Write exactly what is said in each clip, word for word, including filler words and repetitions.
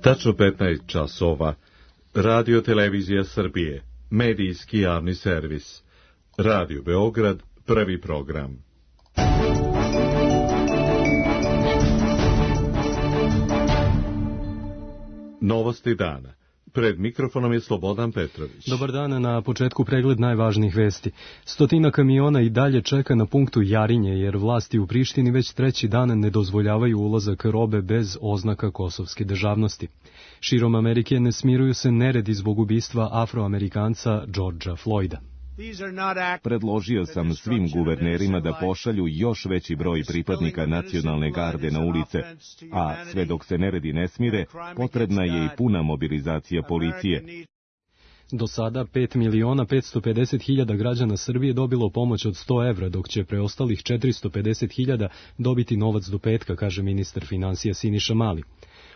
Tačno petnaest časova. Radio Televizija Srbije. Medijski javni servis. Radio Beograd. Prvi program. Novosti dana. Pred mikrofonom je Slobodan Petrović. Dobar dan, na početku pregled najvažnijih vesti. Stotina kamiona i dalje čeka na punktu Jarinje, jer vlasti u Prištini već treći dan ne dozvoljavaju ulazak robe bez oznaka kosovske državnosti. Širom Amerike ne smiruju se neredi zbog ubistva Afroamerikanca Georgea Floyda. Predložio sam svim guvernerima da pošalju još veći broj pripadnika nacionalne garde na ulice, a sve dok se neredi ne smire, potrebna je i puna mobilizacija policije. Do sada pet miliona petsto pedeset hiljada građana Srbije dobilo pomoć od sto evra, dok će preostalih četiristo pedeset hiljada dobiti novac do petka, kaže ministar finansija Siniša Mali.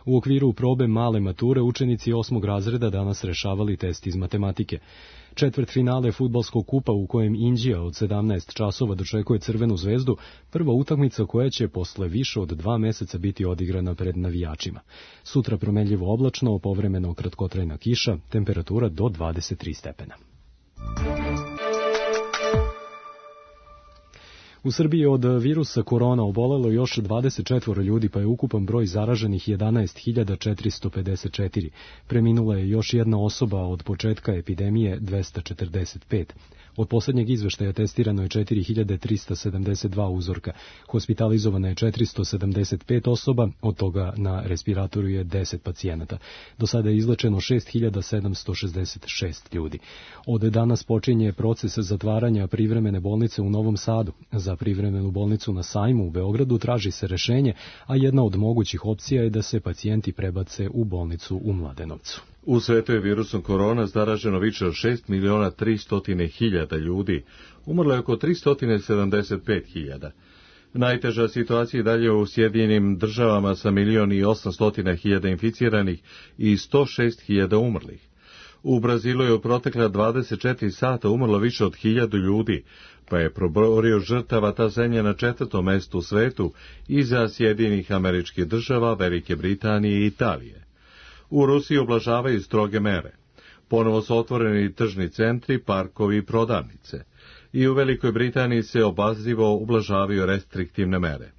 U okviru probe male mature učenici osmog razreda danas rešavali test iz matematike. Četvrtfinale fudbalskog kupa u kojem Inđija od sedamnaest časova dočekuje Crvenu zvezdu, prva utakmica koja će posle više od dva meseca biti odigrana pred navijačima. Sutra promenljivo oblačno, povremeno kratkotrajna kiša, temperatura do dvadeset tri stepena. U Srbiji od virusa korona obolelo još dvadeset četvoro ljudi, pa je ukupan broj zaraženih jedanaest hiljada četiristo pedeset četiri. Preminula je još jedna osoba, od početka epidemije dvesta četrdeset pet. Od poslednjeg izveštaja testirano je četiri hiljade trista sedamdeset dva uzorka. Hospitalizovano je četiristo sedamdeset pet osoba, od toga na respiratoru je deset pacijenata. Do sada je izlečeno šest hiljada sedamsto šezdeset šest ljudi. Od danas počinje proces zatvaranja privremene bolnice u Novom Sadu. Za privremenu bolnicu na Sajmu u Beogradu traži se rešenje, a jedna od mogućih opcija je da se pacijenti prebace u bolnicu u Mladenovcu. U svetu je virusom korona zaraženo više od šest miliona tristo hiljada ljudi, umrlo je oko tristo sedamdeset pet hiljada. Najteža situacija je dalje u Sjedinjenim državama sa milion i osamsto hiljada inficiranih i sto šest hiljada umrlih. U Brazilu je u protekla dvadeset četiri sata umrlo više od hiljadu ljudi, pa je proborio žrtava ta zemlja na četvrtom mestu u svetu iza Sjedinjenih Američkih Država, Velike Britanije i Italije. U Rusiji oblažavaju stroge mere. Ponovo su otvoreni tržni centri, parkovi i prodavnice. I u Velikoj Britaniji se obazrivo ublažavaju restriktivne mere.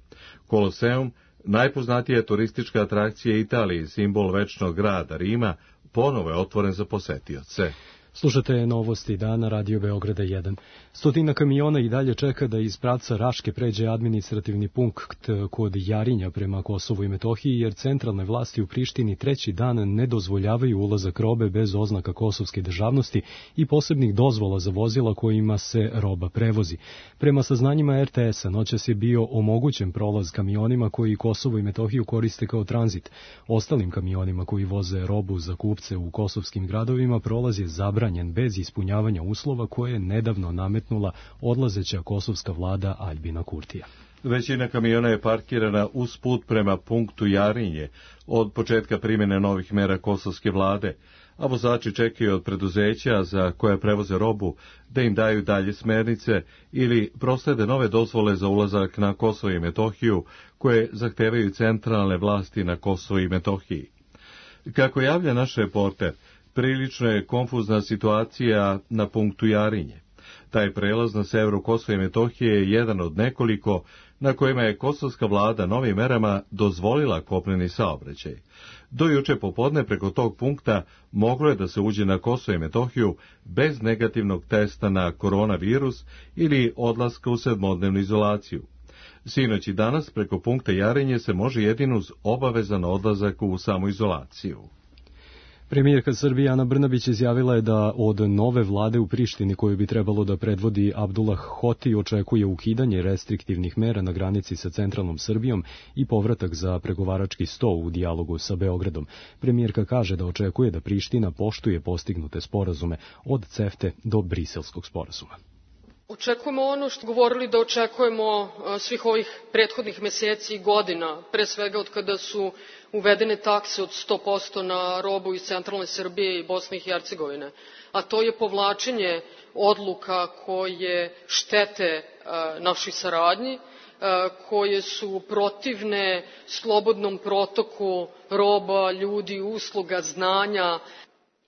Koloseum, najpoznatija turistička atrakcija Italije, simbol večnog grada Rima, ponovo je otvoren za posetioce. Slušate novosti dana Radio Beograda jedan. Stotina kamiona i dalje čeka da iz pravca Raške pređe administrativni punkt kod Jarinja prema Kosovu i Metohiji, jer centralne vlasti u Prištini treći dan ne dozvoljavaju ulazak robe bez oznaka kosovske državnosti i posebnih dozvola za vozila kojima se roba prevozi. Prema saznanjima er te esa, noćas je bio omogućen prolaz kamionima koji Kosovo i Metohiju koriste kao tranzit. Ostalim kamionima koji voze robu za kupce u kosovskim gradovima prolaz je zabranjen bez ispunjavanja uslova koje je nedavno nametnula odlazeća kosovska vlada Aljbina Kurtija. Većina kamiona je parkirana uz put prema punktu Jarinje od početka primjene novih mera kosovske vlade, a vozači čekaju od preduzeća za koje prevoze robu da im daju dalje smernice ili proslede nove dozvole za ulazak na Kosovo i Metohiju koje zahtevaju centralne vlasti na Kosovo i Metohiji. Kako javlja naš reporter, prilično je konfuzna situacija na punktu Jarinje. Taj prelaz na severu Kosova i Metohije je jedan od nekoliko na kojima je kosovska vlada novim merama dozvolila kopneni saobraćaj. Do juče popodne preko tog punkta moglo je da se uđe na Kosovo i Metohiju bez negativnog testa na koronavirus ili odlaska u sedmodnevnu izolaciju. Sinoć i danas preko punkta Jarinje se može jedino uz obavezan odlazak u samoizolaciju. Premijerka Srbije Ana Brnabić izjavila je da od nove vlade u Prištini, koju bi trebalo da predvodi Abdullah Hoti, očekuje ukidanje restriktivnih mera na granici sa centralnom Srbijom i povratak za pregovarački sto u dijalogu sa Beogradom. Premijerka kaže da očekuje da Priština poštuje postignute sporazume od CEFTE do Briselskog sporazuma. Očekujemo ono što govorili da očekujemo svih ovih prethodnih meseci i godina, pre svega od kada su uvedene takse od sto posto na robu iz centralne Srbije i Bosne i Hercegovine, a to je povlačenje odluka koje štete našoj saradnji, koje su protivne slobodnom protoku roba, ljudi, usluga, znanja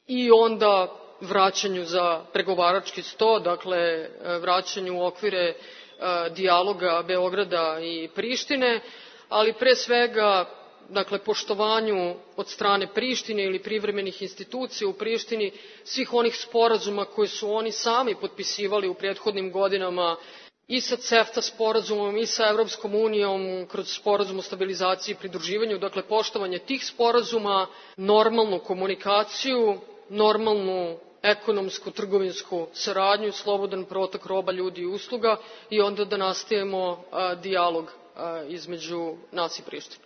i onda vraćanju za pregovarački sto, dakle vraćanju u okvire dijaloga Beograda i Prištine, ali pre svega dakle poštovanju od strane Prištine ili privremenih institucija u Prištini svih onih sporazuma koje su oni sami potpisivali u prethodnim godinama i sa CEFTA sporazumom i sa Evropskom unijom kroz sporazum o stabilizaciji i pridruživanju, dakle poštovanje tih sporazuma, normalnu komunikaciju, normalnu ekonomsku, trgovinsku saradnju, slobodan protok roba, ljudi i usluga i onda da nastavimo dijalog između nas i Prištine.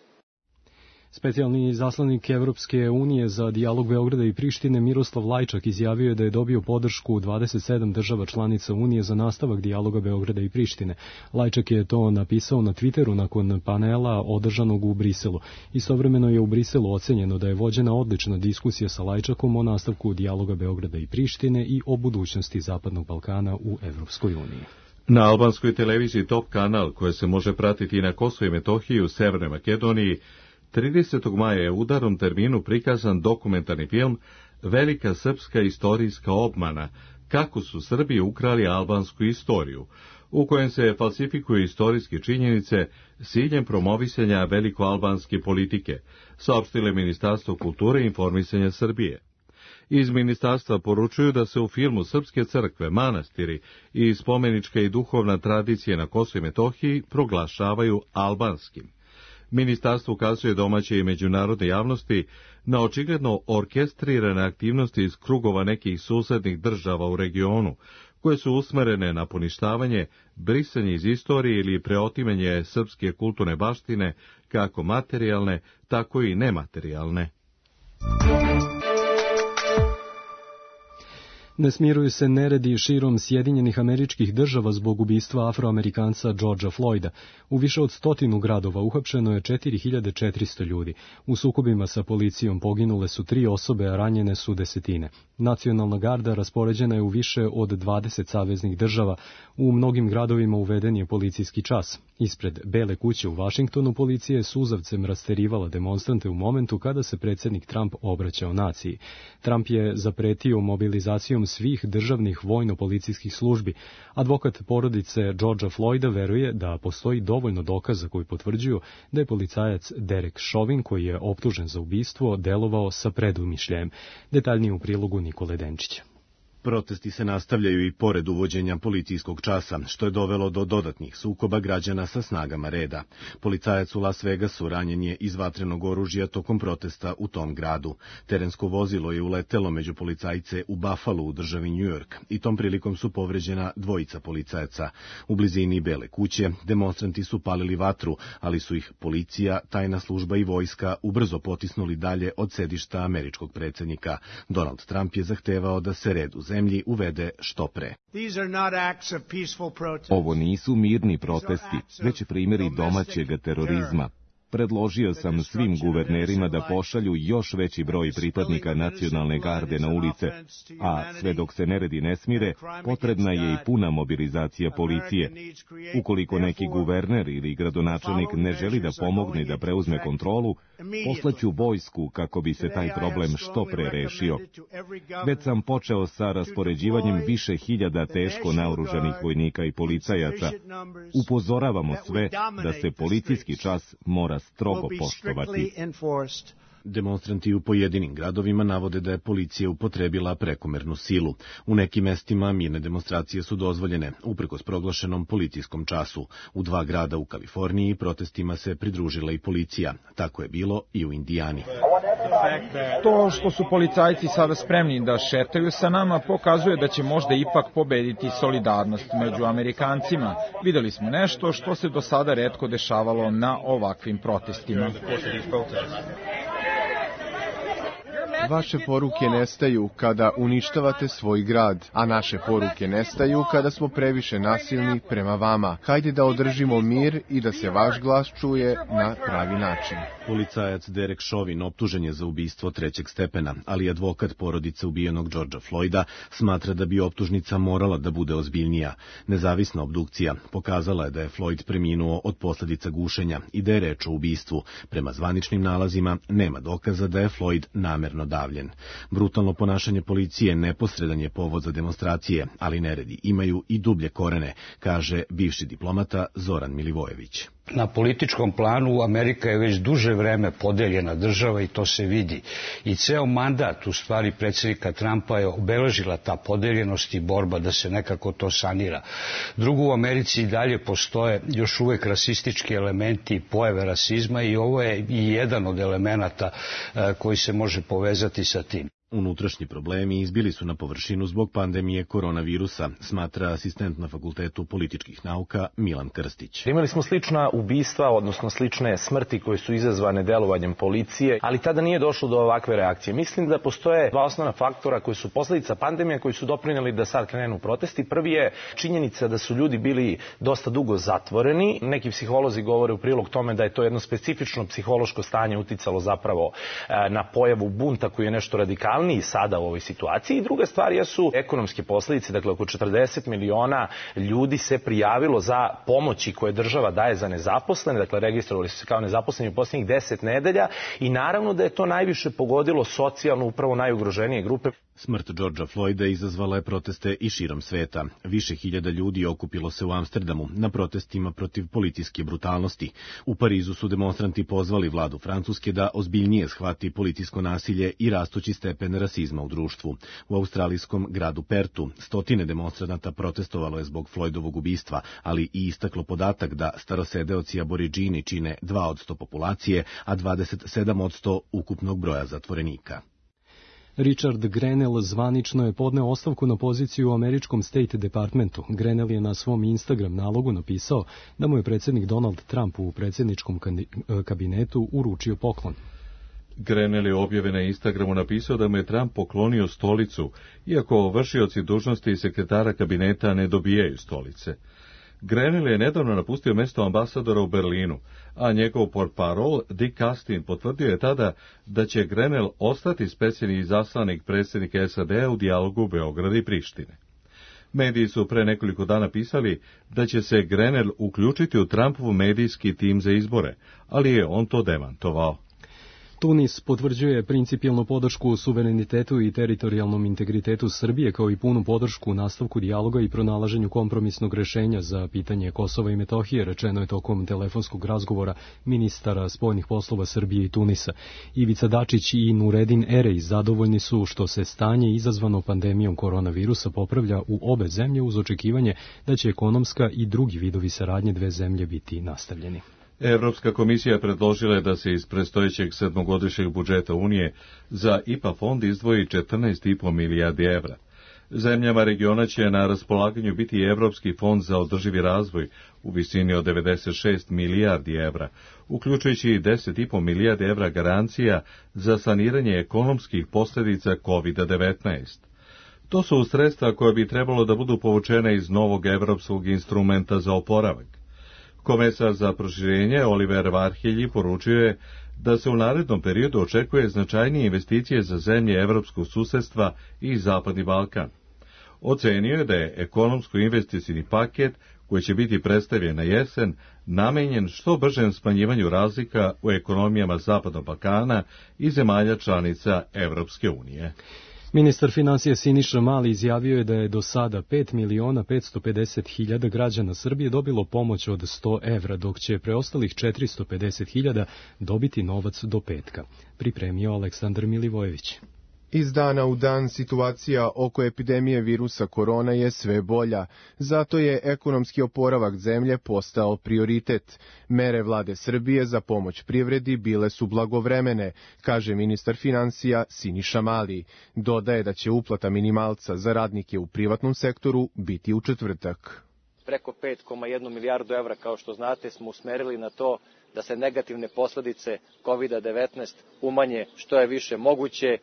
Specijalni izaslanik Evropske unije za dijalog Beograda i Prištine Miroslav Lajčak izjavio je da je dobio podršku dvadeset sedam država članica Unije za nastavak dijaloga Beograda i Prištine. Lajčak je to napisao na Twitteru nakon panela održanog u Briselu. Istovremeno je u Briselu ocenjeno da je vođena odlična diskusija sa Lajčakom o nastavku dijaloga Beograda i Prištine i o budućnosti Zapadnog Balkana u Evropskoj uniji. Na albanskoj televiziji Top kanal, koja se može pratiti i na Kosovu i Metohiji u Severnoj Makedoniji, tridesetog maja je u udarnom terminu prikazan dokumentarni film Velika srpska istorijska obmana, kako su Srbi ukrali albansku istoriju, u kojem se falsifikuju istorijske činjenice s ciljem promovisanja velikoalbanske politike, saopštile Ministarstvo kulture i informisanja Srbije. Iz ministarstva poručuju da se u filmu srpske crkve, manastiri i spomenička i duhovna tradicija na Kosovu i Metohiji proglašavaju albanskim. Ministarstvo ukazuje domaće i međunarodne javnosti na očigledno orkestrirane aktivnosti iz krugova nekih susednih država u regionu, koje su usmerene na poništavanje, brisanje iz istorije ili preotimanje srpske kulturne baštine, kako materijalne, tako i nematerijalne. Ne smiruju se neredi širom Sjedinjenih Američkih Država zbog ubistva Afroamerikanca Georgea Floyda. U više od stotinu gradova uhapšeno je četiri hiljade četiristo ljudi. U sukobima sa policijom poginule su tri osobe, a ranjene su desetine. Nacionalna garda raspoređena je u više od dvadeset saveznih država. U mnogim gradovima uveden je policijski čas. Ispred Bele kuće u Vašingtonu policija je suzavcem rasterivala demonstrante u momentu kada se predsjednik Trump obraćao naciji. Trump je zapretio mobilizacijom svih državnih vojno-policijskih službi. Advokat porodice Georgea Floyda veruje da postoji dovoljno dokaza koji potvrđuju da je policajac Derek Chauvin, koji je optužen za ubistvo, delovao sa predumišljajem. Detaljnije u prilogu Nikole Denčića. Protesti se nastavljaju i pored uvođenja policijskog časa, što je dovelo do dodatnih sukoba građana sa snagama reda. Policajac u Las Vegasu ranjen je iz vatrenog oružja tokom protesta u tom gradu. Terensko vozilo je uletelo među policajce u Buffalo u državi New York i tom prilikom su povređena dvojica policajaca. U blizini Bele kuće demonstranti su palili vatru, ali su ih policija, tajna služba i vojska ubrzo potisnuli dalje od sedišta američkog predsjednika. Donald Trump je zahtevao da se red u zemlji uvede što pre. Ovo nisu mirni protesti, već primjeri domaćeg terorizma. Predložio sam svim guvernerima da pošalju još veći broj pripadnika nacionalne garde na ulice, a sve dok se neredi ne smire, potrebna je i puna mobilizacija policije. Ukoliko neki guverner ili gradonačelnik ne želi da pomogne da preuzme kontrolu, poslaću vojsku kako bi se taj problem što pre rešio. Već sam počeo sa raspoređivanjem više hiljada teško naoružanih vojnika i policajaca. Upozoravamo sve da se policijski čas mora strogo poštovati. Demonstranti u pojedinim gradovima navode da je policija upotrebila prekomernu silu. U nekim mestima mirne demonstracije su dozvoljene, uprkos proglašenom policijskom času. U dva grada u Kaliforniji protestima se pridružila i policija. Tako je bilo i u Indijani. To što su policajci sada spremni da šetaju sa nama pokazuje da će možda ipak pobediti solidarnost među Amerikancima. Videli smo nešto što se do sada retko dešavalo na ovakvim protestima. Vaše poruke nestaju kada uništavate svoj grad, a naše poruke nestaju kada smo previše nasilni prema vama. Hajde da održimo mir i da se vaš glas čuje na pravi način. Policajac Derek Chauvin optužen je za ubistvo trećeg stepena, ali advokat porodice ubijenog Georgea Floyda smatra da bi optužnica morala da bude ozbiljnija. Nezavisna obdukcija pokazala je da je Floyd preminuo od posljedica gušenja i da je reč o ubistvu. Prema zvaničnim nalazima nema dokaza da je Floyd namerno davljen. Brutalno ponašanje policije neposredan je povod za demonstracije, ali neredi imaju i dublje korene, kaže bivši diplomata Zoran Milivojević. Na političkom planu Amerika je već duže vreme podeljena država i to se vidi. I ceo mandat, u stvari, predsjednika Trumpa je obeležila ta podeljenost i borba da se nekako to sanira. Drugo, u Americi i dalje postoje još uvek rasistički elementi i pojave rasizma i ovo je i jedan od elemenata koji se može povezati sa tim. Unutrašnji problemi izbili su na površinu zbog pandemije koronavirusa, smatra asistent na Fakultetu političkih nauka Milan Krstić. Imali smo slična ubistva, odnosno slične smrti koje su izazvane delovanjem policije, ali tada nije došlo do ovakve reakcije. Mislim da postoje dva osnovna faktora koji su posljedica pandemije, koji su doprinijeli da sad krenu protesti. Prvi je činjenica da su ljudi bili dosta dugo zatvoreni. Neki psiholozi govore u prilog tome da je to jedno specifično psihološko stanje uticalo zapravo na pojavu bunta koji je nešto radikalniji sada u ovoj situaciji. I druga stvar jesu ekonomske posljedice, dakle oko četrdeset miliona ljudi se prijavilo za pomoći koje država daje za nezaposlene, dakle registrovali su se kao nezaposleni u posljednjih deset nedelja i naravno da je to najviše pogodilo socijalno upravo najugroženije grupe. Smrt Georgea Floyda izazvala je proteste i širom sveta. Više hiljada ljudi okupilo se u Amsterdamu na protestima protiv policijske brutalnosti. U Parizu su demonstranti pozvali vladu Francuske da ozbiljnije shvati policijsko nasilje i rastući stepen rasizma u društvu. U australijskom gradu Pertu stotine demonstranata protestovalo je zbog Floydovog ubistva, ali i istaklo podatak da starosedeoci Aboridžini čine dva od sto populacije, a dvadeset sedam od sto ukupnog broja zatvorenika. Richard Grenell zvanično je podneo ostavku na poziciju u američkom State Departmentu. Grenell je na svom Instagram nalogu napisao da mu je predsjednik Donald Trump u predsjedničkom kabinetu uručio poklon. Grenell je objave na Instagramu napisao da mu je Trump poklonio stolicu, iako vršioci dužnosti sekretara kabineta ne dobijaju stolice. Grenell je nedavno napustio mjesto ambasadora u Berlinu, a njegov portparol Dick Castin potvrdio je tada da će Grenell ostati specijalni izaslanik predsjednika S A D-a u dijalogu Beograda i Prištine. Mediji su pre nekoliko dana pisali da će se Grenell uključiti u Trumpov medijski tim za izbore, ali je on to demantovao. Tunis potvrđuje principijelnu podršku suverenitetu i teritorijalnom integritetu Srbije, kao i punu podršku u nastavku dijaloga i pronalaženju kompromisnog rešenja za pitanje Kosova i Metohije, rečeno je tokom telefonskog razgovora ministara spoljnih poslova Srbije i Tunisa. Ivica Dačić i Nuredin Erej zadovoljni su što se stanje izazvano pandemijom koronavirusa popravlja u obe zemlje uz očekivanje da će ekonomska i drugi vidovi saradnje dve zemlje biti nastavljeni. Evropska komisija predložila je da se iz predstojećeg sedmogodišnjeg budžeta Unije za I P A fond izdvoji četrnaest i po milijardi evra. Zemljama regiona će na raspolaganju biti i Evropski fond za održivi razvoj u visini od devedeset šest milijardi evra, uključujući i deset i po milijardi evra garancija za saniranje ekonomskih posljedica kovid devetnaest. To su sredstva koje bi trebalo da budu povučene iz novog evropskog instrumenta za oporavak. Komesar za proširenje Oliver Varhelji poručio je da se u narednom periodu očekuje značajnije investicije za zemlje evropskog susedstva i Zapadni Balkan. Ocenio je da je ekonomsko-investicijni paket, koji će biti predstavljen na jesen, namenjen što bržem smanjivanju razlika u ekonomijama Zapadnog Balkana i zemalja članica Evropske unije. Ministar financija Siniša Mali izjavio je da je do sada pet miliona petsto pedeset hiljada građana Srbije dobilo pomoć od sto evra, dok će preostalih četiristo pedeset hiljada dobiti novac do petka. Pripremio Aleksandar Milivojević. Iz dana u dan situacija oko epidemije virusa korona je sve bolja, zato je ekonomski oporavak zemlje postao prioritet. Mere vlade Srbije za pomoć privredi bile su blagovremene, kaže ministar financija Siniša Mali. Dodaje da će uplata minimalca za radnike u privatnom sektoru biti u četvrtak. Preko pet zarez jedan milijardu evra, kao što znate, smo usmerili na to da se negativne posledice kovid devetnaest umanje što je više moguće.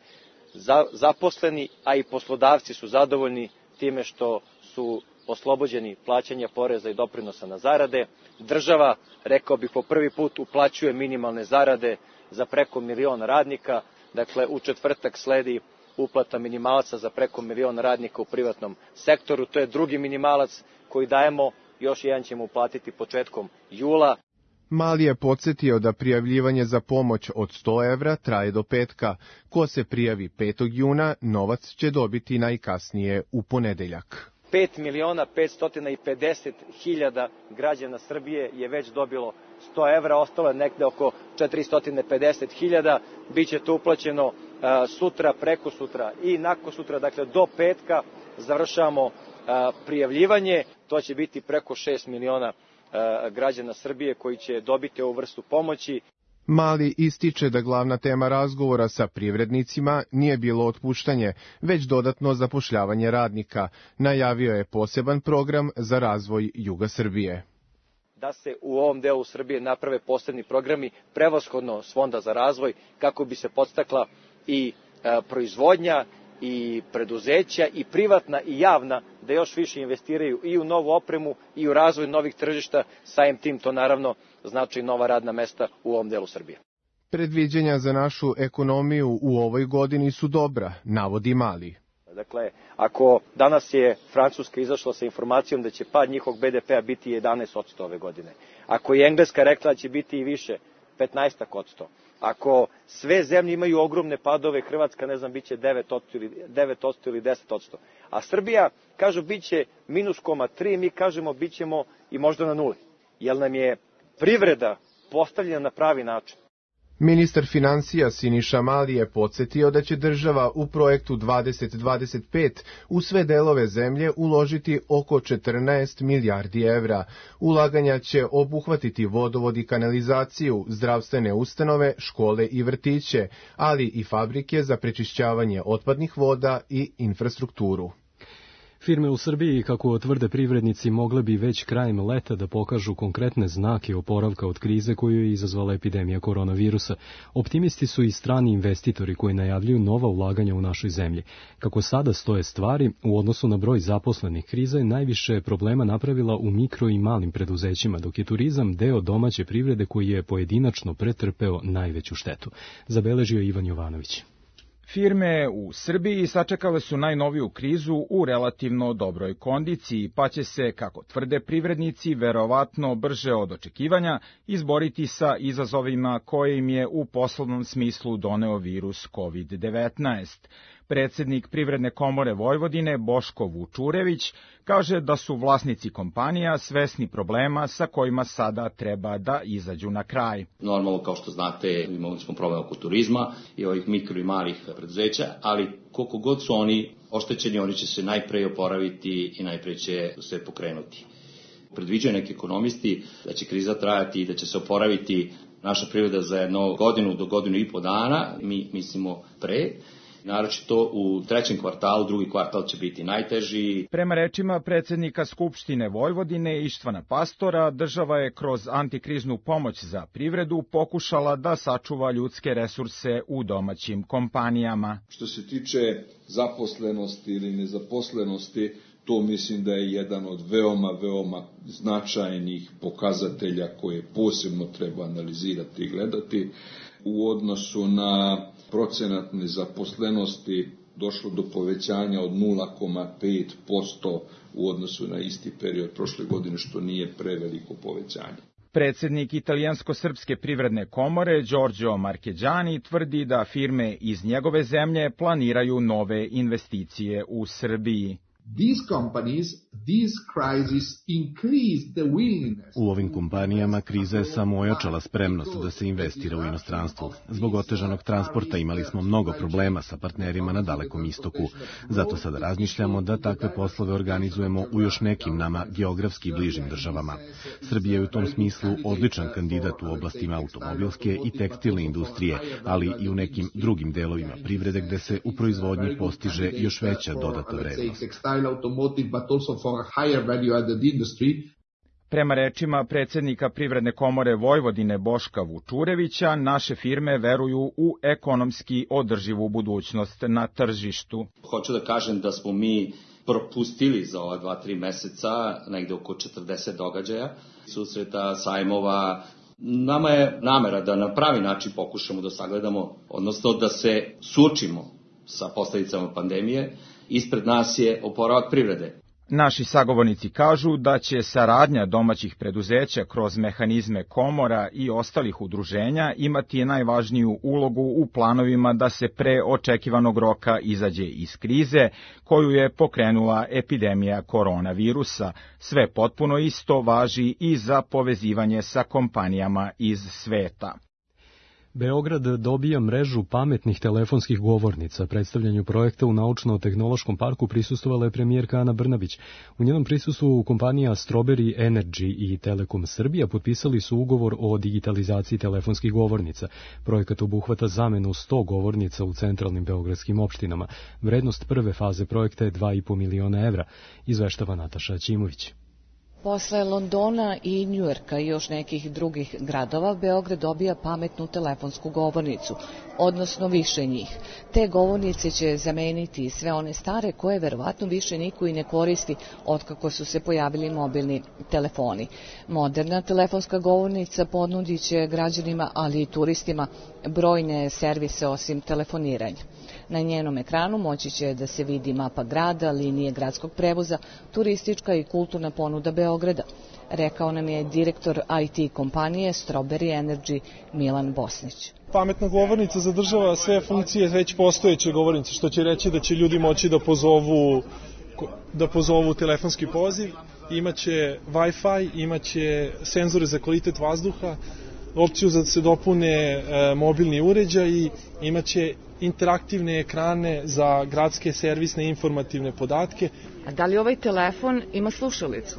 zaposleni, a i poslodavci su zadovoljni time što su oslobođeni plaćanja poreza i doprinosa na zarade. Država, rekao bih, po prvi put uplaćuje minimalne zarade za preko milion radnika. Dakle, u četvrtak sledi uplata minimalaca za preko milion radnika u privatnom sektoru. To je drugi minimalac koji dajemo, još jedan ćemo uplatiti početkom jula. Mali je podsjetio da prijavljivanje za pomoć od sto evra traje do petka. Ko se prijavi petog juna, novac će dobiti najkasnije u ponedeljak. pet miliona petsto pedeset hiljada građana Srbije je već dobilo sto evra, ostalo je nekde oko četiristo pedeset hiljada, biće to uplaćeno sutra, preko sutra i nakon sutra, dakle do petka završavamo prijavljivanje, to će biti preko šest miliona građana Srbije koji će dobiti ovu vrstu pomoći. Mali ističe da glavna tema razgovora sa privrednicima nije bilo otpuštanje, već dodatno zapošljavanje radnika. Najavio je poseban program za razvoj juga Srbije. Da se u ovom delu Srbije naprave posebni programi, prevashodno s Fonda za razvoj, kako bi se podstakla i e, proizvodnja, i preduzeća, i privatna i javna, da još više investiraju i u novu opremu i u razvoj novih tržišta, samim tim to naravno znači nova radna mesta u ovom delu Srbije. Predviđenja za našu ekonomiju u ovoj godini su dobra, navodi Mali. Dakle, ako danas je Francuska izašla sa informacijom da će pad njihovog be de pe a biti jedanaest posto ove godine, ako je Engleska rekla da će biti i više, petnaest posto, ako sve zemlje imaju ogromne padove, Hrvatska, ne znam, biće devet posto ili deset posto, a Srbija, kažu, biće minus koma tri, mi kažemo bićemo i možda na nuli, jer nam je privreda postavljena na pravi način. Ministar financija Siniša Mali je podsjetio da će država u projektu dvadeset dvadeset pet u sve delove zemlje uložiti oko četrnaest milijardi evra. Ulaganja će obuhvatiti vodovod i kanalizaciju, zdravstvene ustanove, škole i vrtiće, ali i fabrike za prečišćavanje otpadnih voda i infrastrukturu. Firme u Srbiji, kako tvrde privrednici, mogle bi već krajem leta da pokažu konkretne znake oporavka od krize koju je izazvala epidemija koronavirusa. Optimisti su i strani investitori koji najavljuju nova ulaganja u našoj zemlji. Kako sada stoje stvari, u odnosu na broj zaposlenih, kriza je najviše problema napravila u mikro i malim preduzećima, dok je turizam deo domaće privrede koji je pojedinačno pretrpeo najveću štetu. Zabeležio Ivan Jovanović. Firme u Srbiji sačekale su najnoviju krizu u relativno dobroj kondiciji, pa će se, kako tvrde privrednici, verovatno brže od očekivanja izboriti sa izazovima koje im je u poslovnom smislu doneo virus kovid devetnaest. Predsednik Privredne komore Vojvodine Boško Vučurević kaže da su vlasnici kompanija svesni problema sa kojima sada treba da izađu na kraj. Normalno, kao što znate, imali smo problem oko turizma i ovih mikro i malih preduzeća, ali koliko god su oni oštećeni, oni će se najpre oporaviti i najpre će se pokrenuti. Predviđaju neki ekonomisti da će kriza trajati i da će se oporaviti naša privreda za jednu godinu do godinu i po dana, mi mislimo pre. Naročito u trećem kvartalu, drugi kvartal će biti najteži. Prema rečima predsednika Skupštine Vojvodine Ištvana Pastora, država je kroz antikriznu pomoć za privredu pokušala da sačuva ljudske resurse u domaćim kompanijama. Što se tiče zaposlenosti ili nezaposlenosti, to mislim da je jedan od veoma, veoma značajnih pokazatelja koje posebno treba analizirati i gledati. U odnosu na procenat nezaposlenosti došlo do povećanja od nula zarez pet posto u odnosu na isti period prošle godine, što nije preveliko povećanje. Predsednik Italijansko-srpske privredne komore Giorgio Marchegiani tvrdi da firme iz njegove zemlje planiraju nove investicije u Srbiji. These companies, this crisis increased the willingness. U ovim kompanijama kriza je samo ojačala spremnost da se investira u inostranstvu. Zbog otežanog transporta imali smo mnogo problema sa partnerima na Dalekom istoku. Zato sada razmišljamo da takve poslove organizujemo u još nekim nama geografski bližim državama. Srbija je u tom smislu odličan kandidat u oblastima automobilske i tekstilne industrije, ali i u nekim drugim delovima privrede gde se u proizvodnji postiže još veća dodata vrednost. Automotive, but also for a higher value added industry. Prema rečima predsednika Privredne komore Vojvodine Boška Vučurevića, naše firme veruju u ekonomski održivu budućnost na tržištu. Hoću da kažem da smo mi propustili za ova dva, tri meseca negde oko četrdeset događaja, susreta, sajmova. Nama je namera da na pravi način pokušamo da sagledamo, odnosno da se suočimo sa posledicama pandemije. Ispred nas je oporavak privrede. Naši sagovornici kažu da će saradnja domaćih preduzeća kroz mehanizme komora i ostalih udruženja imati najvažniju ulogu u planovima da se pre očekivanog roka izađe iz krize koju je pokrenula epidemija koronavirusa. Sve potpuno isto važi i za povezivanje sa kompanijama iz sveta. Beograd dobija mrežu pametnih telefonskih govornica. Predstavljanju projekta u Naučno-tehnološkom parku prisustvovala je premijerka Ana Brnabić. U njenom prisustvu kompanija Strawberry Energy i Telekom Srbija potpisali su ugovor o digitalizaciji telefonskih govornica. Projekat obuhvata zamenu sto govornica u centralnim beogradskim opštinama. Vrednost prve faze projekta je dva i po miliona evra, izveštava Nataša Ćimović. Posle Londona i Njujorka i još nekih drugih gradova, Beograd dobija pametnu telefonsku govornicu, odnosno više njih. Te govornice će zameniti sve one stare koje verovatno više niko i ne koristi otkako su se pojavili mobilni telefoni. Moderna telefonska govornica ponudit će građanima, ali i turistima, brojne servise osim telefoniranja. Na njenom ekranu moći će da se vidi mapa grada, linije gradskog prevoza, turistička i kulturna ponuda Beograda, rekao nam je direktor I T kompanije Strawberry Energy Milan Bosnić. Pametna govornica zadržava sve funkcije već postojeće govornice, što će reći da će ljudi moći da pozovu, da pozovu telefonski poziv, imaće Wi-Fi, imaće senzore za kvalitet vazduha, opciju da se dopune e, mobilni uređaji, imaće interaktivne ekrane za gradske servisne informativne podatke. A da li ovaj telefon ima slušalicu?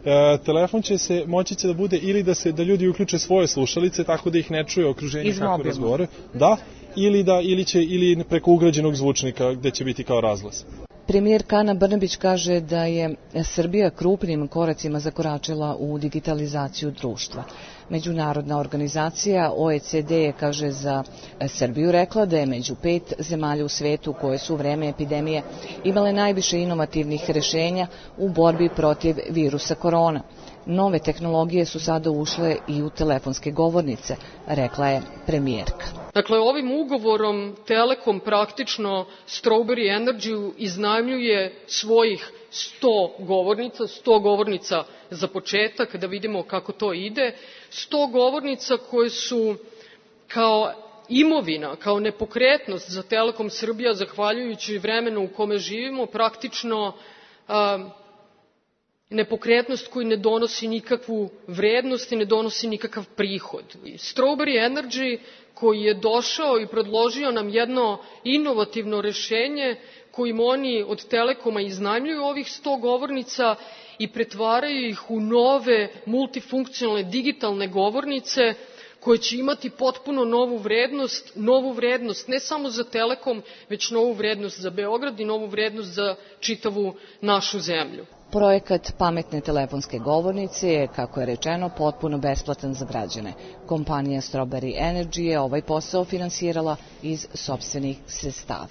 E, telefon će se, moći će da bude ili da se da ljudi uključe svoje slušalice tako da ih ne čuje okruženje kako razgovore. Da, ili da ili će ili preko ugrađenog zvučnika gde će biti kao razglas. Premijerka Ana Brnabić kaže da je Srbija krupnim koracima zakoračila u digitalizaciju društva. Međunarodna organizacija O E C D je, kaže, za Srbiju rekla da je među pet zemalja u svetu koje su u vreme epidemije imale najviše inovativnih rešenja u borbi protiv virusa korona. Nove tehnologije su sada ušle i u telefonske govornice, rekla je premijerka. Dakle, ovim ugovorom Telekom praktično Strawberry Energy iznajmljuje svojih sto govornica, sto govornica za početak, da vidimo kako to ide, sto govornica koje su kao imovina, kao nepokretnost za Telekom Srbija, zahvaljujući vremenu u kome živimo, praktično a, nepokretnost koji ne donosi nikakvu vrednost i ne donosi nikakav prihod. Strawberry Energy koji je došao i predložio nam jedno inovativno rešenje kojim oni od Telekoma iznajmljuju ovih sto govornica i pretvaraju ih u nove multifunkcionalne digitalne govornice koje će imati potpuno novu vrednost, novu vrednost ne samo za Telekom, već novu vrednost za Beograd i novu vrednost za čitavu našu zemlju. Projekat pametne telefonske govornice je, kako je rečeno, potpuno besplatan za građane. Kompanija Strawberry Energy je ovaj posao finansirala iz sopstvenih sredstava.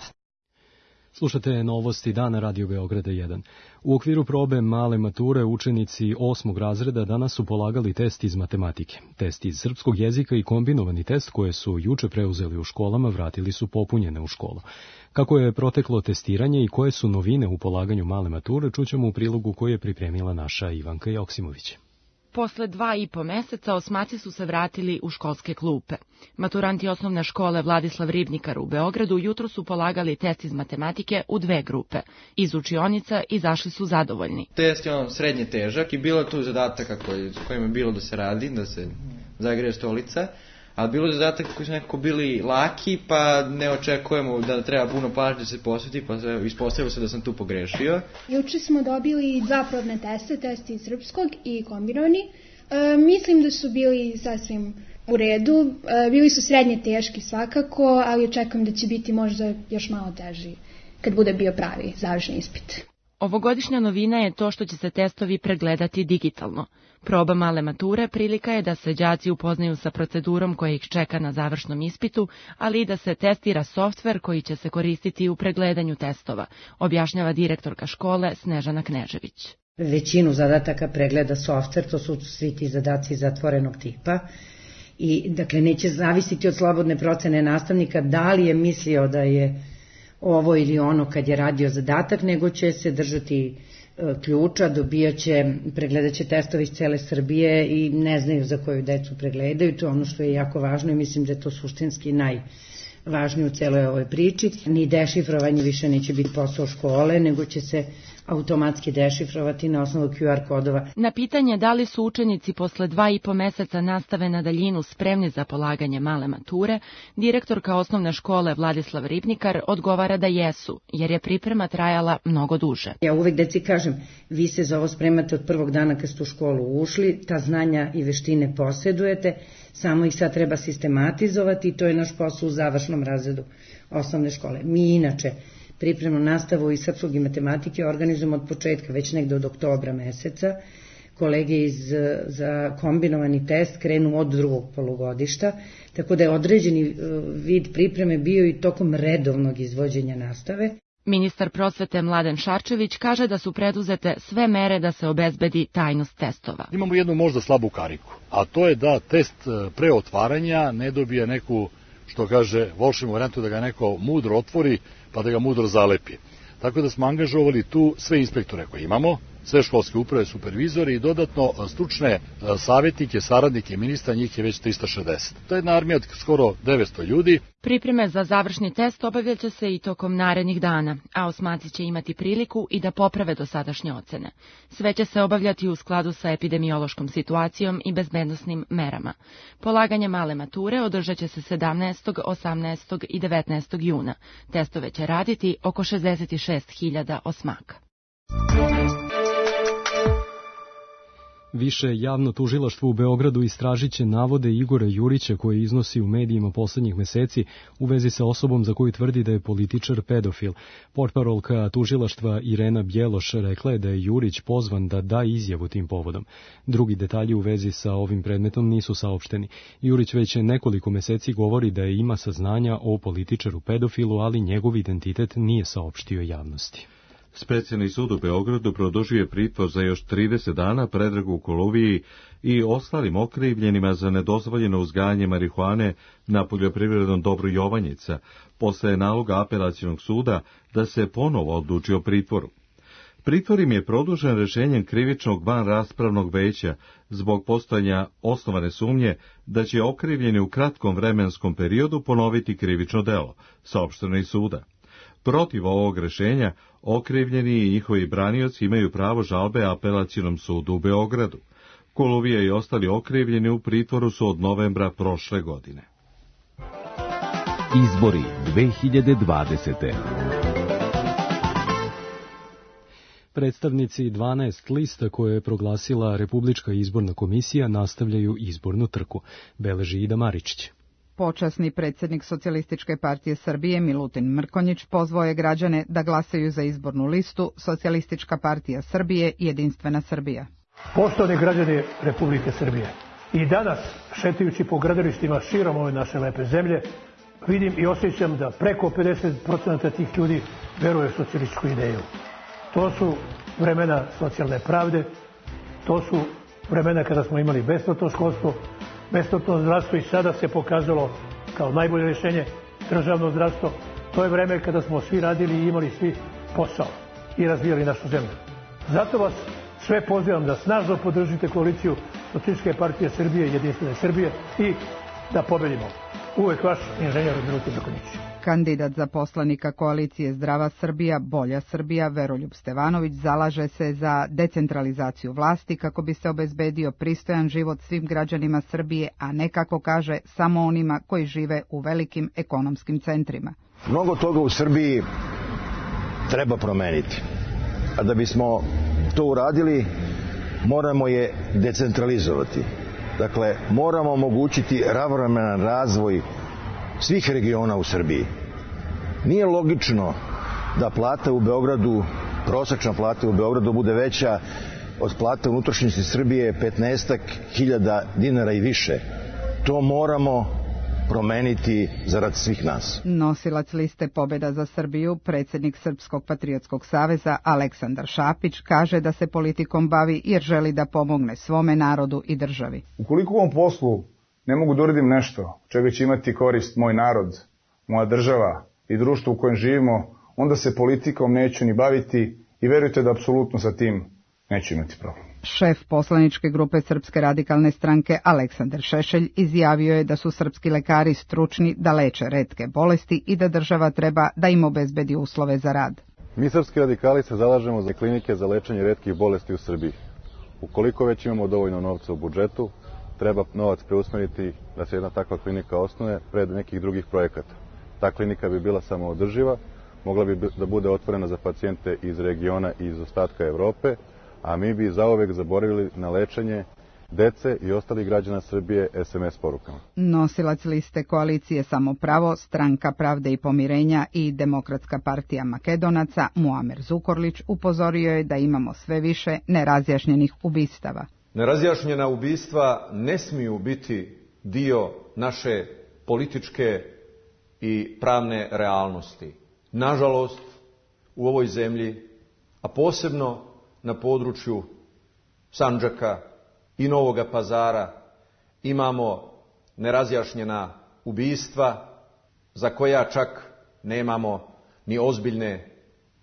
Slušate novosti dana Radio Beograda jedan. U okviru probe male mature učenici osmog razreda danas su polagali test iz matematike. Test iz srpskog jezika i kombinovani test koje su juče preuzeli u školama vratili su popunjene u školu. Kako je proteklo testiranje i koje su novine u polaganju male mature, čućemo u prilogu koji je pripremila naša Ivanka Joksimović. Posle dva i po meseca osmaci su se vratili u školske klupe. Maturanti osnovne škole Vladislav Ribnikar u Beogradu jutro su polagali test iz matematike u dve grupe. Iz učionica izašli su zadovoljni. Test je on srednje težak i bilo je tu zadataka koji, kojima je bilo da se radi, da se zagreje stolica. Ali bilo je zadataka koji su nekako bili laki, pa ne očekujemo da treba puno pažnje da se posveti, pa ispostavilo se da sam tu pogrešio. Juče smo dobili dva probne teste, test iz srpskog i kombinovani. E, mislim da su bili sasvim u redu. E, bili su srednje teški svakako, ali očekujem da će biti možda još malo teži kad bude bio pravi završni ispit. Ovogodišnja novina je to što će se testovi pregledati digitalno. Proba male mature prilika je da se đaci upoznaju sa procedurom koja ih čeka na završnom ispitu, ali i da se testira softver koji će se koristiti u pregledanju testova, objašnjava direktorka škole Snežana Knežević. Većinu zadataka pregleda softver, to su svi ti zadaci zatvorenog tipa. I, dakle, neće zavisiti od slobodne procene nastavnika da li je mislio da je ovo ili ono kad je radio zadatak, nego će se držati e, ključa, dobijaće, pregledaće testove iz cele Srbije i ne znaju za koju decu pregledaju, to je ono što je jako važno i mislim da je to suštinski najvažnije u celoj ovoj priči. Ni dešifrovanje više neće biti posao škole, nego će se automatski dešifrovati na osnovu Q R kodova. Na pitanje da li su učenici posle dva i po meseca nastave na daljinu spremni za polaganje male mature, direktorka osnovne škole Vladislav Ribnikar odgovara da jesu, jer je priprema trajala mnogo duže. Ja uvek deci kažem, vi se za ovo spremate od prvog dana kad ste u školu ušli, ta znanja i veštine posjedujete, samo ih sad treba sistematizovati i to je naš posao u završnom razredu osnovne škole. Mi inače pripremnu nastavu iz srpskog i matematike organizujemo od početka, već negde od oktobra meseca. Kolege iz, za kombinovani test krenu od drugog polugodišta, tako da je određeni vid pripreme bio i tokom redovnog izvođenja nastave. Ministar prosvete Mladen Šarčević kaže da su preduzete sve mere da se obezbedi tajnost testova. Imamo jednu možda slabu kariku, a to je da test pre otvaranja ne dobije neku, što kaže, volševnu varijantu da ga neko mudro otvori pa da ga mudro zalepi. Tako da smo angažovali tu sve inspektore koje imamo, sve školske uprave, supervizori i dodatno stručne savjetnike, saradnike ministra, njih je već trista šezdeset. To je jedna armija od skoro devetsto ljudi. Pripreme za završni test obavljaće se i tokom narednih dana, a osmaci će imati priliku i da poprave dosadašnje ocene. Sve će se obavljati u skladu sa epidemiološkom situacijom i bezbednosnim merama. Polaganje male mature održat će se sedamnaestog, osamnaestog i devetnaestog juna. Testove će raditi oko šezdeset šest hiljada osmaka. Više javno tužilaštvo u Beogradu istražit će navode Igora Jurića koje iznosi u medijima poslednjih meseci u vezi sa osobom za koju tvrdi da je političar pedofil. Portparolka tužilaštva Irena Bjeloš rekla je da je Jurić pozvan da da izjavu tim povodom. Drugi detalji u vezi sa ovim predmetom nisu saopšteni. Jurić već nekoliko meseci govori da je ima saznanja o političaru pedofilu, ali njegov identitet nije saopštio javnosti. Specijalni sud u Beogradu produžuje pritvor za još trideset dana Predragu Koluviji i ostalim okrivljenima za nedozvoljeno uzgajanje marihuane na poljoprivrednom dobru Jovanjica, posle naloga apelacionog suda da se ponovo odluči o pritvoru. Pritvor im je produžen rešenjem krivičnog vanraspravnog veća zbog postojanja osnovane sumnje da će okrivljeni u kratkom vremenskom periodu ponoviti krivično delo, saopšteno iz suda. Protiv ovog rešenja, okrivljeni i njihovi branioci imaju pravo žalbe apelacionom sudu u Beogradu. Koluvija i ostali okrivljeni u pritvoru su od novembra prošle godine. Izbori dve hiljade dvadesete. Predstavnici dvanaest lista koje je proglasila Republička izborna komisija nastavljaju izbornu trku, beleži Ida Maričić. Počasni predsjednik Socijalističke partije Srbije Milutin Mrkonjić pozvao je građane da glasaju za izbornu listu Socijalistička partija Srbije i Jedinstvena Srbija. Poštovani građani Republike Srbije, i danas, šetajući po gradilištima širom ove naše lepe zemlje, vidim i osjećam da preko pedeset posto tih ljudi veruje u socijalističku ideju. To su vremena socijalne pravde, to su vremena kada smo imali besplatno školstvo, besplatno zdravstvo i sada se pokazalo kao najbolje rješenje državno zdravstvo. To je vreme kada smo svi radili i imali svi posao i razvijali našu zemlju. Zato vas sve pozivam da snažno podržite koaliciju Socijalističke partije Srbije i Jedinstvene Srbije i da pobedimo. Uvek vaš inženjer Milutin Mrkonjić. Kandidat za poslanika koalicije Zdrava Srbija, Bolja Srbija, Veroljub Stevanović, zalaže se za decentralizaciju vlasti kako bi se obezbedio pristojan život svim građanima Srbije, a ne, kako kaže, samo onima koji žive u velikim ekonomskim centrima. Mnogo toga u Srbiji treba promeniti. A da bismo to uradili, moramo je decentralizovati. Dakle, moramo omogućiti ravnomeran razvoj svih regiona u Srbiji. Nije logično da plata u Beogradu prosečna plata u Beogradu bude veća od plata u unutrašnjosti Srbije petnaestak hiljada dinara i više. To moramo promeniti zarad svih nas. Nosilac liste Pobeda za Srbiju, predsjednik Srpskog patriotskog saveza Aleksandar Šapić, kaže da se politikom bavi jer želi da pomogne svome narodu i državi. Ukoliko u ovom poslu ne mogu da uradim nešto čega će imati korist moj narod, moja država i društvo u kojem živimo, onda se politikom neću ni baviti i verujte da apsolutno sa tim neću imati problem. Šef poslaničke grupe Srpske radikalne stranke Aleksandar Šešelj izjavio je da su srpski lekari stručni da leče retke bolesti i da država treba da im obezbedi uslove za rad. Mi srpski radikali se zalažemo za klinike za lečenje retkih bolesti u Srbiji. Ukoliko već imamo dovoljno novca u budžetu, treba novac preusmeriti da se jedna takva klinika osnuje pred nekih drugih projekata. Ta klinika bi bila samoodrživa, mogla bi da bude otvorena za pacijente iz regiona i iz ostatka Evrope, a mi bi zauvek zaboravili na lečenje dece i ostalih građana Srbije es em es porukama. Nosilac liste koalicije Samopravo, Stranka pravde i pomirenja i Demokratska partija Makedonaca Muamer Zukorlić upozorio je da imamo sve više nerazjašnjenih ubistava. Nerazjašnjena ubistva ne smiju biti dio naše političke i pravne realnosti. Nažalost, u ovoj zemlji, a posebno na području Sandžaka i Novoga Pazara, imamo nerazjašnjena ubistva za koja čak nemamo ni ozbiljne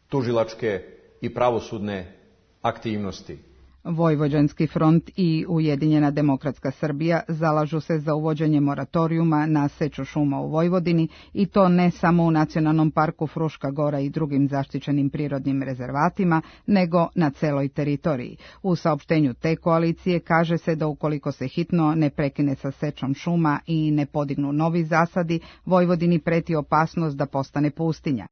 tužilačke i pravosudne aktivnosti. Vojvođanski front i Ujedinjena demokratska Srbija zalažu se za uvođenje moratorijuma na seču šuma u Vojvodini i to ne samo u Nacionalnom parku Fruška Gora i drugim zaštićenim prirodnim rezervatima, nego na celoj teritoriji. U saopštenju te koalicije kaže se da ukoliko se hitno ne prekine sa sečom šuma i ne podignu novi zasadi, Vojvodini preti opasnost da postane pustinja.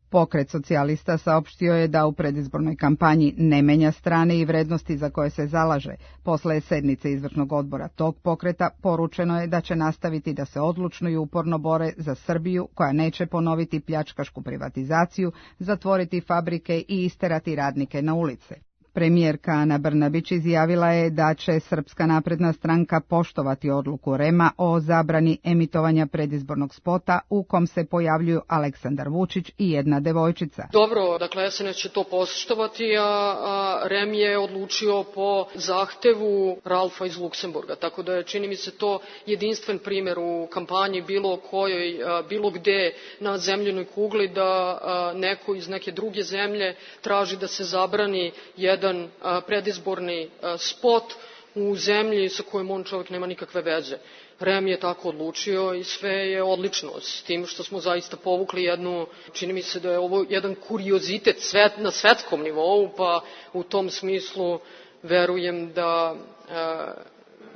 Pokret socijalista saopštio je da u predizbornoj kampanji ne menja strane i vrednosti za koje se zalaže. Posle sednice izvršnog odbora tog pokreta poručeno je da će nastaviti da se odlučno i uporno bore za Srbiju koja neće ponoviti pljačkašku privatizaciju, zatvoriti fabrike i isterati radnike na ulice. Premijerka Ana Brnabić izjavila je da će Srpska napredna stranka poštovati odluku er e em a o zabrani emitovanja predizbornog spota u kom se pojavljuju Aleksandar Vučić i jedna devojčica. Dobro, dakle es en es će to poštovati, a er e em je odlučio po zahtevu Ralfa iz Luksemburga, tako da je, čini mi se, to jedinstven primjer u kampanji bilo kojoj, bilo gde na zemljenoj kugli da neko iz neke druge zemlje traži da se zabrani jedan predizborni spot u zemlji sa kojom on čovjek nema nikakve veze. er e em je tako odlučio i sve je odlično, s tim što smo zaista povukli jednu, čini mi se da je ovo jedan kuriozitet svet, na svetskom nivou, pa u tom smislu verujem da, e,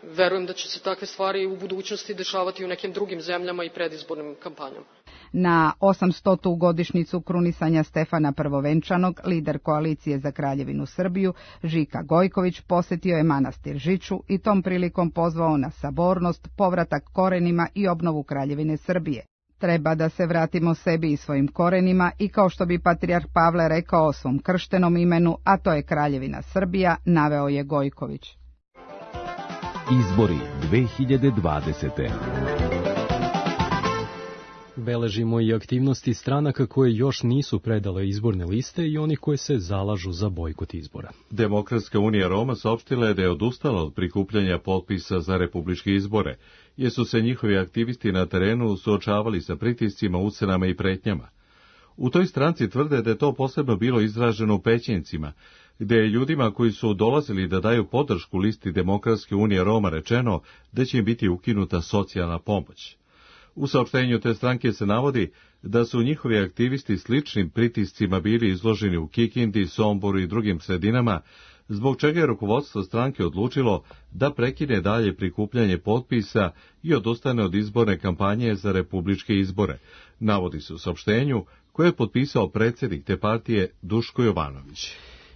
verujem da će se takve stvari u budućnosti dešavati u nekim drugim zemljama i predizbornim kampanjama. Na osamstotu godišnjicu krunisanja Stefana Prvovenčanog, lider koalicije za Kraljevinu Srbiju, Žika Gojković, posjetio je manastir Žiču i tom prilikom pozvao na sabornost, povratak korenima i obnovu Kraljevine Srbije. Treba da se vratimo sebi i svojim korenima i kao što bi patrijarh Pavle rekao o svom krštenom imenu, a to je Kraljevina Srbija, naveo je Gojković. Izbori dve hiljade dvadesete. Beležimo i aktivnosti stranaka koje još nisu predale izborne liste i onih koje se zalažu za bojkot izbora. Demokratska unija Roma saopštila je da je odustala od prikupljanja potpisa za republičke izbore, jer su se njihovi aktivisti na terenu suočavali sa pritiscima, ucenama i pretnjama. U toj stranci tvrde da je to posebno bilo izraženo u Pećincima, gde je ljudima koji su dolazili da daju podršku listi Demokratske unije Roma rečeno da će im biti ukinuta socijalna pomoć. U saopštenju te stranke se navodi da su njihovi aktivisti sličnim pritiscima bili izloženi u Kikindi, Somboru i drugim sredinama, zbog čega je rukovodstvo stranke odlučilo da prekine dalje prikupljanje potpisa i odustane od izborne kampanje za republičke izbore, navodi se u saopštenju koje je potpisao predsjednik te partije Duško Jovanović.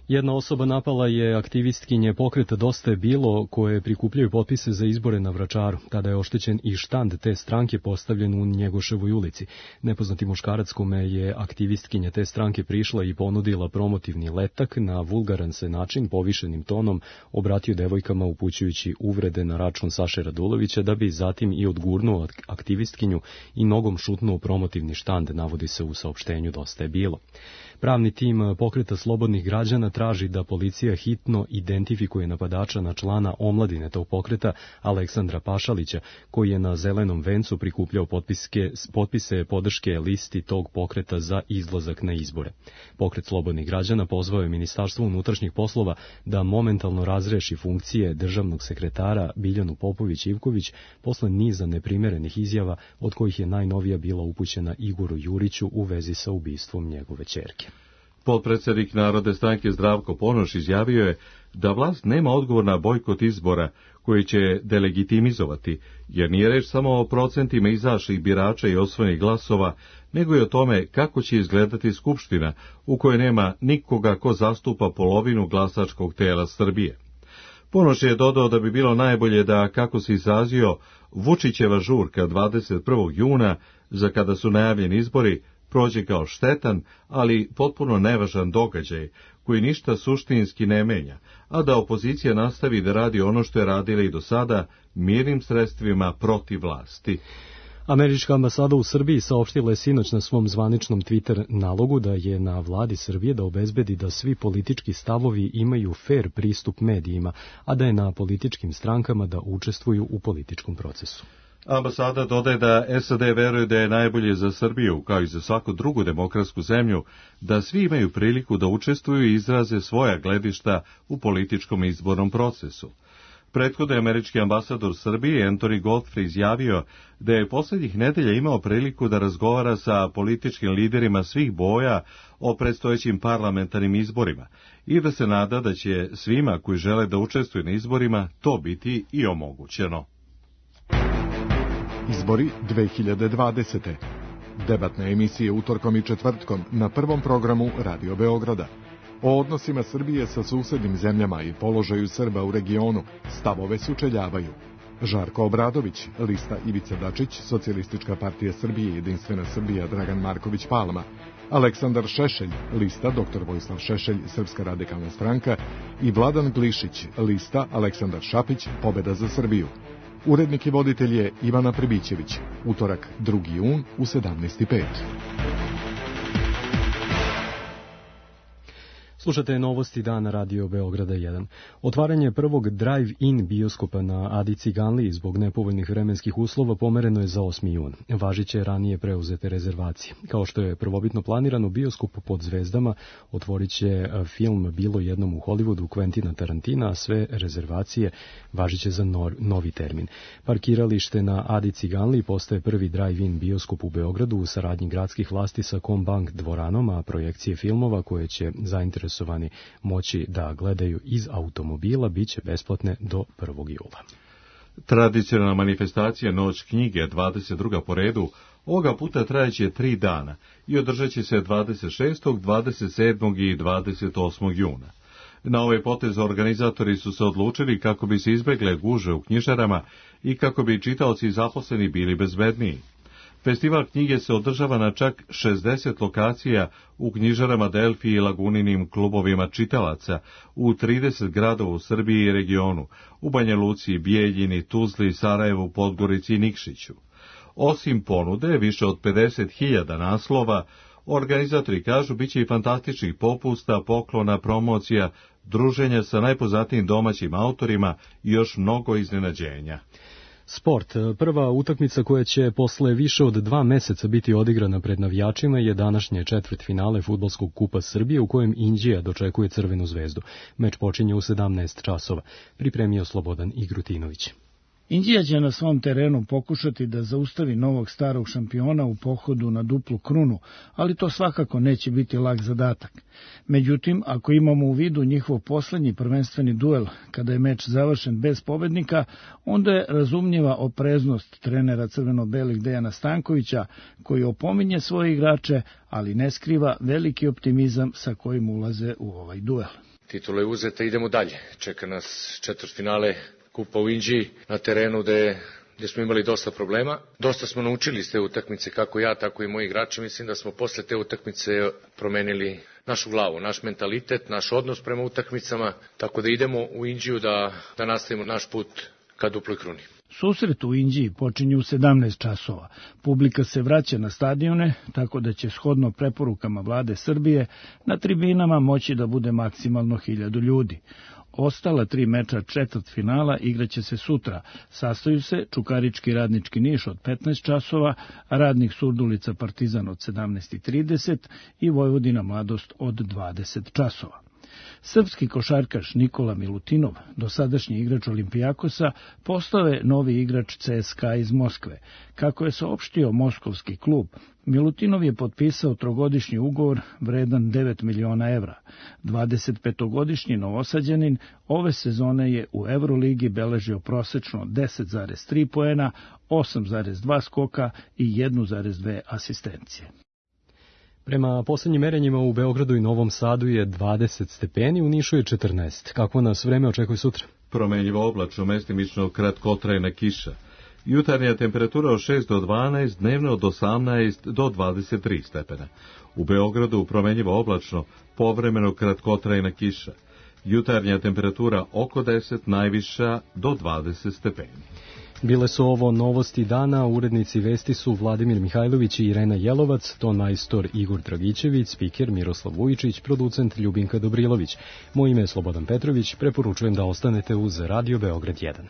Jedna osoba napala je aktivistkinje pokreta Dosta je bilo, koje prikupljaju potpise za izbore na Vračaru. Tada je oštećen i štand te stranke postavljen u Njegoševoj ulici. Nepoznati muškarac kome je aktivistkinja te stranke prišla i ponudila promotivni letak na vulgaran se način, povišenim tonom, obratio devojkama upućujući uvrede na račun Saše Radulovića, da bi zatim i odgurnuo aktivistkinju i nogom šutnuo promotivni štand, navodi se u saopštenju Dosta je bilo. Pravni tim pokreta slobodnih građana traži da policija hitno identifikuje napadača na člana omladine tog pokreta Aleksandra Pašalića, koji je na Zelenom vencu prikupljao potpiske, potpise podrške listi tog pokreta za izlazak na izbore. Pokret slobodnih građana pozvao je Ministarstvo unutrašnjih poslova da momentalno razreši funkcije državnog sekretara Biljanu Popović-Ivković posle niza neprimerenih izjava, od kojih je najnovija bila upućena Igoru Juriću u vezi sa ubistvom njegove ćerke. Potpredsednik Narodne stranke Zdravko Ponoš izjavio je da vlast nema odgovor na bojkot izbora koji će delegitimizovati, jer nije reč samo o procentima izašlih birača i osvojenih glasova, nego i o tome kako će izgledati Skupština u kojoj nema nikoga ko zastupa polovinu glasačkog tela Srbije. Ponoš je dodao da bi bilo najbolje da, kako se izrazio, Vučićeva žurka dvadeset prvog juna, za kada su najavljeni izbori, prođe kao štetan, ali potpuno nevažan događaj, koji ništa suštinski ne menja, a da opozicija nastavi da radi ono što je radila i do sada, mirnim sredstvima protiv vlasti. Američka ambasada u Srbiji saopštila je sinoć na svom zvaničnom Twitter nalogu da je na vladi Srbije da obezbedi da svi politički stavovi imaju fer pristup medijima, a da je na političkim strankama da učestvuju u političkom procesu. Ambasada dodaje da S A D veruje da je najbolje za Srbiju, kao i za svaku drugu demokratsku zemlju, da svi imaju priliku da učestvuju i izraze svoja gledišta u političkom izbornom procesu. Prethodno je američki ambasador Srbije Anthony Godfrey izjavio da je poslednjih nedelja imao priliku da razgovara sa političkim liderima svih boja o predstojećim parlamentarnim izborima i da se nada da će svima koji žele da učestvuju na izborima to biti i omogućeno. Izbori dve hiljade dvadesete. Debatne emisije utorkom i četvrtkom na prvom programu Radio Beograda. O odnosima Srbije sa susednim zemljama i položaju Srba u regionu stavove sučeljavaju Žarko Obradović, lista Ivica Dačić, Socijalistička partija Srbije, Jedinstvena Srbija, Dragan Marković Palma, Aleksandar Šešelj, lista doktor Vojislav Šešelj, Srpska radikalna stranka i Vladan Glišić, lista Aleksandar Šapić, Pobeda za Srbiju. Urednik i voditelj je Ivana Pribićević. Utorak drugi jun u sedamnaest i pet. Slušate novosti dana Radio Beograda jedan. Otvaranje prvog drive-in bioskopa na Adi Ciganliji zbog nepovoljnih vremenskih uslova pomereno je za osmi jun. Važiće ranije preuzete rezervacije. Kao što je prvobitno planirano, bioskop pod zvezdama otvorit će film Bilo jednom u Hollywoodu Quentina Tarantina, a sve rezervacije važiće za novi termin. Parkiralište na Adi Ciganliji postaje prvi drive-in bioskop u Beogradu u saradnji gradskih vlasti sa Combank dvoranom, a projekcije filmova koje će zainteresovati moći da gledaju iz automobila biće besplatne do prvog jula. Tradicionalna manifestacija Noć knjige, dvadeset druga po redu, ovoga puta trajeće tri dana i održat će se dvadeset šestog, dvadeset sedmog i dvadeset osmog juna. Na ovaj potez organizatori su se odlučili kako bi se izbegle gužve u knjižarama i kako bi čitaoci zaposleni bili bezbedniji. Festival knjige se održava na čak šezdeset lokacija u knjižarama Delfi i Laguninim klubovima čitalaca u trideset gradova u Srbiji i regionu, u Banja Luci, Bijeljini, Tuzli, Sarajevu, Podgorici i Nikšiću. Osim ponude, više od pedeset hiljada naslova, organizatori kažu biće i fantastičnih popusta, poklona, promocija, druženja sa najpoznatijim domaćim autorima i još mnogo iznenađenja. Sport. Prva utakmica koja će posle više od dva meseca biti odigrana pred navijačima je današnje četvrtfinale Fudbalskog kupa Srbije u kojem Inđija dočekuje Crvenu zvezdu. Meč počinje u sedamnaest časova. Pripremio Slobodan Igrutinović. Inđija će na svom terenu pokušati da zaustavi novog starog šampiona u pohodu na duplu krunu, ali to svakako neće biti lak zadatak. Međutim, ako imamo u vidu njihov poslednji prvenstveni duel, kada je meč završen bez pobednika, onda je razumljiva opreznost trenera crveno-belih Dejana Stankovića, koji opominje svoje igrače, ali ne skriva veliki optimizam sa kojim ulaze u ovaj duel. titula je uzeta, idemo dalje. Čeka nas četvrtfinale Kupa u Inđiji na terenu gde, gde smo imali dosta problema. Dosta smo naučili iz te utakmice, kako ja, tako i moji igrači. Mislim da smo posle te utakmice promenili našu glavu, naš mentalitet, naš odnos prema utakmicama, tako da idemo u Inđiju da, da nastavimo naš put ka duploj kruni. Susret u Inđiji počinje u sedamnaest časova. Publika se vraća na stadione, tako da će shodno preporukama vlade Srbije na tribinama moći da bude maksimalno hiljadu ljudi. Ostala tri meča četvrtfinala igraće se sutra. Sastaju se Čukarički Radnički Niš od petnaest časova, Radnik Surdulica Partizan od sedamnaest i trideset i Vojvodina Mladost od dvadeset časova. Srpski košarkaš Nikola Milutinov, dosadašnji igrač Olimpijakosa, postao je novi igrač C S K A iz Moskve. Kako je saopštio moskovski klub, Milutinov je potpisao trogodišnji ugovor vredan devet miliona evra. dvadesetpetogodišnji novosađanin ove sezone je u Euroligi beležio prosečno deset zarez tri poena, osam zarez dva skoka i jedan zarez dve asistencije. Prema poslednjim merenjima u Beogradu i Novom Sadu je dvadeset stepeni, u Nišu je četrnaest. Kako nas vreme očekuje sutra? Promenjivo oblačno, mestimično kratkotrajna kiša. Jutarnja temperatura od šest do dvanaest, dnevno od osamnaest do dvadeset tri stepena. U Beogradu promenjivo oblačno, povremeno kratkotrajna kiša. Jutarnja temperatura oko deset, najviša do dvadeset stepeni. Bile su ovo novosti dana, urednici vesti su Vladimir Mihajlović i Irena Jelovac, ton majstor Igor Dragićević, spiker Miroslav Vujičić, producent Ljubinka Dobrilović. Moje ime je Slobodan Petrović, preporučujem da ostanete uz Radio Beograd jedan.